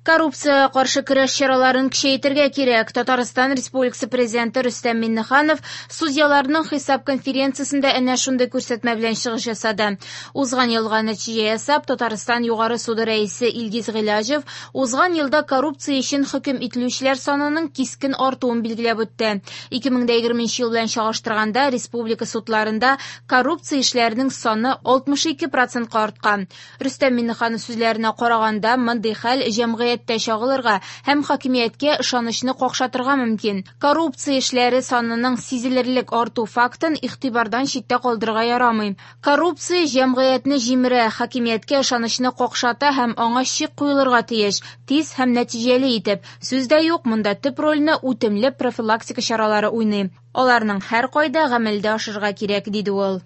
Коррупциягә каршы көрәш чараларын көчәйтергә кирәк. Татарстан Республикасы Президенты Рөстәм Миңнеханов судьяларның хисап конференциясендә әнә шундый күрсәтмә белән чыгыш ясады. Узган елга нәтиҗә ясап, Татарстан Югары суды рәисе Илгиз Гыйләҗев узган елда коррупция өчен хөкем ителүчеләр санының кискен артуын билгеләп үтте. 2020 ел белән чагыштырганда республика судларында коррупция эшләренең саны 62 процентка арткан. Рөстәм Миңнеханов сүзләренә караганда, мондый хәл җәмгыятьтә чагылырга һәм хакимияткә ышанычны какшатырга мөмкин. Коррупция эшләре санының сизелерлек арту фактын игътибардан читтә калдырырга ярамый. Коррупция җәмгыятьне җимерә, хакимияткә ышанычны какшата һәм аңа чик куелырга тиеш, тиз һәм нәтиҗәле итеп. Сүз дә юк, монда төп рольне үтемле профилактика чаралары уйный. Аларның һәркайда гамәлдә ашырырга кирәк, диде ул.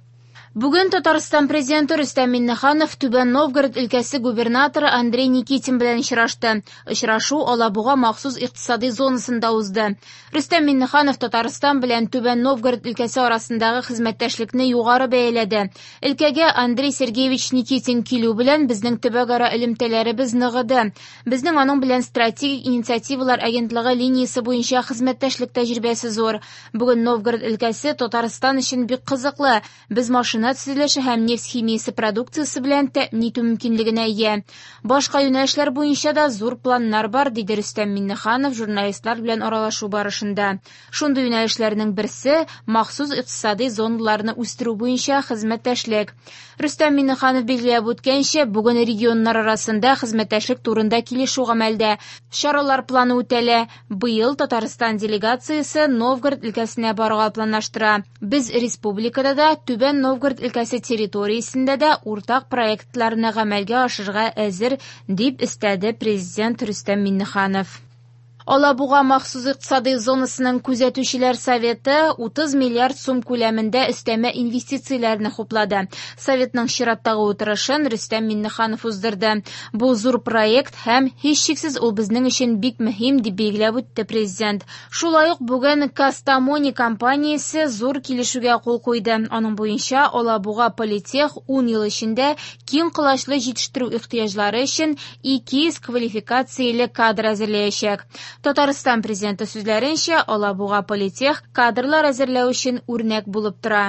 Бүген Татарстан Президенты Рөстәм Миңнеханов Түбән Новгород өлкәсе губернаторы Андрей Никитин белән очрашты. Очрашу Алабуга махсус икътисади зонасында узды. Рөстәм Миңнеханов Татарстан белән Түбән Новгород өлкәсе арасындагы хезмәттәшлекне югары бәяләде. Өлкәгә Андрей Сергеевич Никитин килү белән безнең төбәкара элемтәләребез ныгыды. Безнең аның белән стратегик инициативалар агентлыгы линиясе буенча хезмәттәшлек тәҗрибәсе зур. Бүген Новгород өлкәсе Татарстан өчен бик кызыклы. Без машина төзелеше һәм нефть химиясе продукциясе белән тәэмин итү мөмкинлегенә ия. Башка юнәлешләр буенча да зур планнар бар, диде Рөстәм Миңнеханов журналистлар белән аралашу барышында. Шундый юнәлешләрнең берсе махсус икътисади зоналарны үстерү буенча хезмәттәшлек. Рөстәм Миңнеханов билгеләп үткәнчә, бүген регионнар арасында хезмәттәшлек турында килешү гамәлдә. Чаралар планы үтәлә. Быел Татарстан делегациясе Новгород өлкәсенә барырга планлаштыра. Без республикада да, Түбән Новгород өлкәсе территориясендә дә уртак проектларны гамәлгә ашырырга әзер, дип өстәде Президент Рөстәм Миңнеханов. Алабуга махсус икътисади зонасының күзәтүчеләр советы 30 миллиард сум күләмендә өстәмә инвестицияләрне хуплады. Советның чираттагы утырышын Рөстәм Миңнеханов уздырды. Бу зур проект һәм һичшиксез ул безнең өчен бик мөһим, дип билгеләп үтте президент. Шулай ук бүген Кастамони компаниясе зур килешүгә кул куйды. Аның буенча Алабуга Политех 10 ел эчендә киң колачлы җитештерү ихтыяҗлары өчен 200 квалификацияле кадр әзерләячәк. Татарстан президенты сүзләренчә, Алабуга Политех кадрлар әзерләү өчен үрнәк булып тора.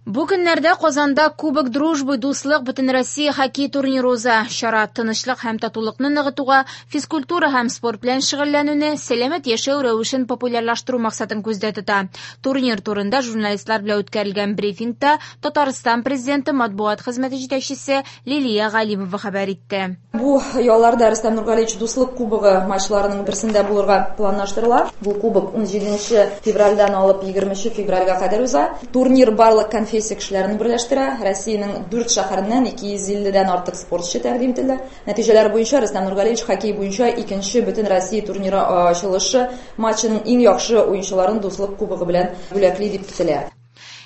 Бу көннәрдә Казанда Кубок Дружбы дуслык Бөтенроссия хоккей турниры уза. Чара тынычлык һәм татулыкны ныгытуга, физкультура һәм спорт белән шөгыльләнүне, сәламәт яшәү рәвешен популярлаштыру максатын күздә тота. Турнир турында журналистлар белән үткәрелгән брифингта Татарстан президенты матбугат хезмәте җитәкчесе Лилия Галимова хәбәр итте. Бу ялларда Рөстәм Нургалиевич Дуслык кубогы матчларының берсендә булырга планлаштырыла. Бу кубок 17 февральдән алып 20 февральгә кадәр уза. Турнир барлык конфессия кешеләрен берләштерә. Россиянең 4 шәһәреннән 250дән артык спортчы тәкъдим ителде. Нәтиҗәләр буенча Рөстәм Нургалиевич хоккей буенча икенче бөтен Россия турниры ачылышы матчының иң яхшы уенчыларын Дуслык кубогы белән бүләкли дип көтелә.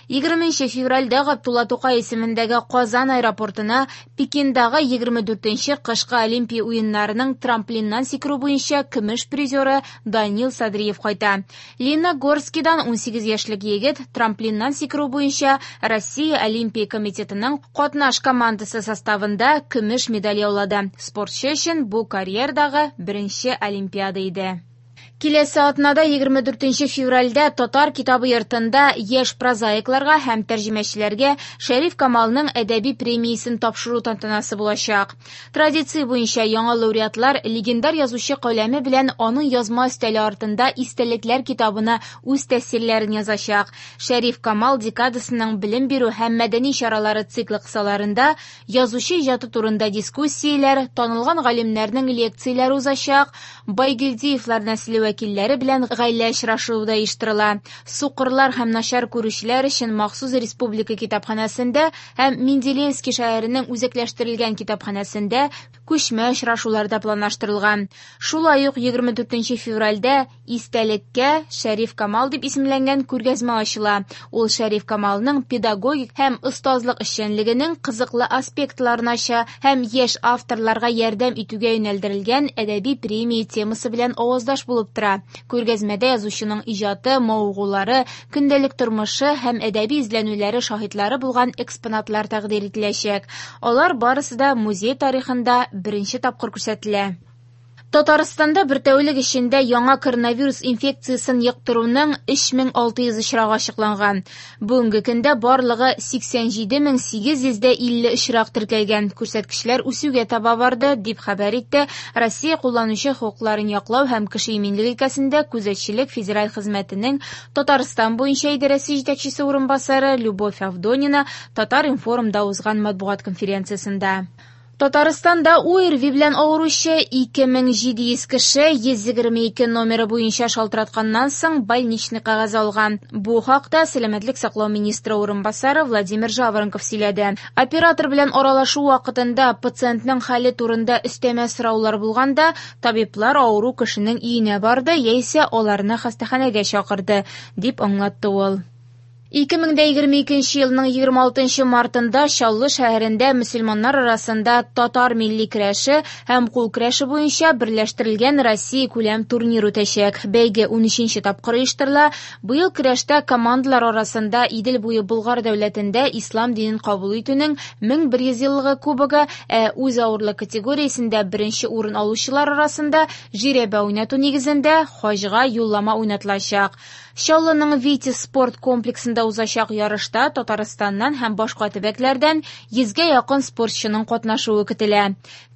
20 февральдә Габдулла Тукай исемендәге Казан аэропортына Пекиндагы 24 кышкы Олимпия уеннарының трамплиннан сикерү буенча көмеш призеры Данил Садриев кайта. Лениногорскидан 18 яшьлек егет трамплиннан сикерү буенча Россия Олимпия комитетының катнаш командасы составында көмеш медаль яулады. Спортчы өчен бу карьердагы беренче Олимпиада иде. Киләсе атнада 24 февральдә Татар китабы йортында яшь прозаикларга һәм тәрҗемәчеләргә Шәриф Камалның әдәби премиясен тапшыру тантанасы булачак. Традиция буенча яңа лауреатлар легендар язучы каләме белән аның язма өстәле артында истәлекләр китабына үз тәэсирләрен язачак. Шәриф Камал декадасының белем бирү һәм мәдәни чаралары циклы кысаларында язучы иҗаты турында дискуссияләр, танылган галимнәрнең лекцияләре узачак, Байгилдиевлар нәселе вәкилләре белән гаилә очрашуы да оештырыла. Сукырлар һәм начар күрүчеләр өчен махсус республика китапханәсендә һәм Менделеевский шәһәренең үзәкләштерелгән китапханәсендә күчмә очрашулар да планлаштырылган. Шулай ук 24 февральдә истәлеккә Шәриф Камал дип исемләнгән күргәзмә ачыла. Ул Шәриф Камалның педагогик һәм остазлык эшчәнлегенең кызыклы аспектларын ача һәм яшь авторларга ярдәм итүгә юнәлдерелгән әдәби премия темасы белән аваздаш булып тора. Күргәзмәдә язучының иҗаты, мавыгулары, көндәлек тормышы һәм әдәби эзләнүләре шаһитлары булган экспонатлар тәкъдир ителәчәк. Алар барысы да музей тарихында беренче тапкыр күрсәтелә. Татарстанда бер тәүлек эчендә яңа коронавирус инфекциясен йоктыруның 3600 очрагы ачыкланган. Бүгенге көндә барлыгы 87850 очрак теркәлгән. Күрсәткечләр үсүгә таба барды, дип хәбәр итте Россия кулланучы хокукларын яклау һәм кеше иминлеге өлкәсендә күзәтчелек федераль хезмәтенең Татарстан буенча идарәсе җитәкчесе урынбасары Любовь Авдонина Татар-информда узган матбугат конференциясендә. Татарстанда ОРВИ белән авыручы 2700 кеше 122 номеры буенча шалтыратканнан соң больничный кәгазе алган. Бу хакта сәламәтлек саклау министры урынбасары Владимир Жаворонков сөйләде. Оператор белән аралашу вакытында пациентның хәле турында өстәмә сораулар булганда, табиблар авыру кешенең өенә барды яисә аларны хастаханәгә чакырды, дип аңлатты ул. 2022 елның 26 мартында Чаллы шәһәрендә мөселманнар арасында татар милли көрәше һәм кул көрәше буенча берләштерелгән Россия күләм турнир үтәчәк. Бәйге 13 тапкыр оештырыла. Быел көрәштә командалар арасында Идел буе Болгар дәүләтендә ислам динен кабул итүнең 1100 еллыгы кубогы, ә үз авырлык категориясендә беренче урын алучылар арасында жирәбә уйнату нигезендә хаҗга юллама уйнатылачак. Чаллының Витязь спорт комплексында узачак ярышта Татарстаннан һәм башка төбәкләрдән 100гә якын спортчының катнашуы көтелә.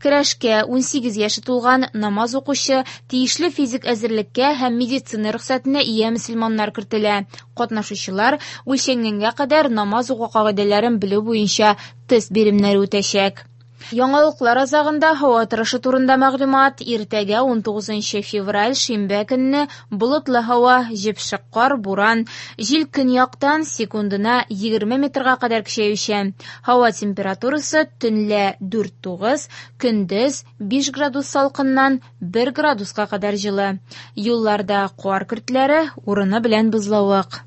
Көрәшкә 18 яше тулган намаз укучы, тиешле физик әзерлеккә һәм медицина рөхсәтенә ия мөселманнар кертелә. Катнашучылар үлчәнгәнгә кадәр намаз уку кагыйдәләрен белү буенча тест биремнәре үтәчәк. Яңалыклар азагында һава торышы турында мәгълүмат. Иртәгә 19 февраль шимбә көнне болытлы һава, җепшек кар, буран, җил көньяктан секундына 20 метрга кадәр көчәючән. Һава температурасы төнлә 4-9, көндез 5 градус салкыннан 1 градуска кадәр җылы. Юлларда кар көртләре, урыны белән бозлавык.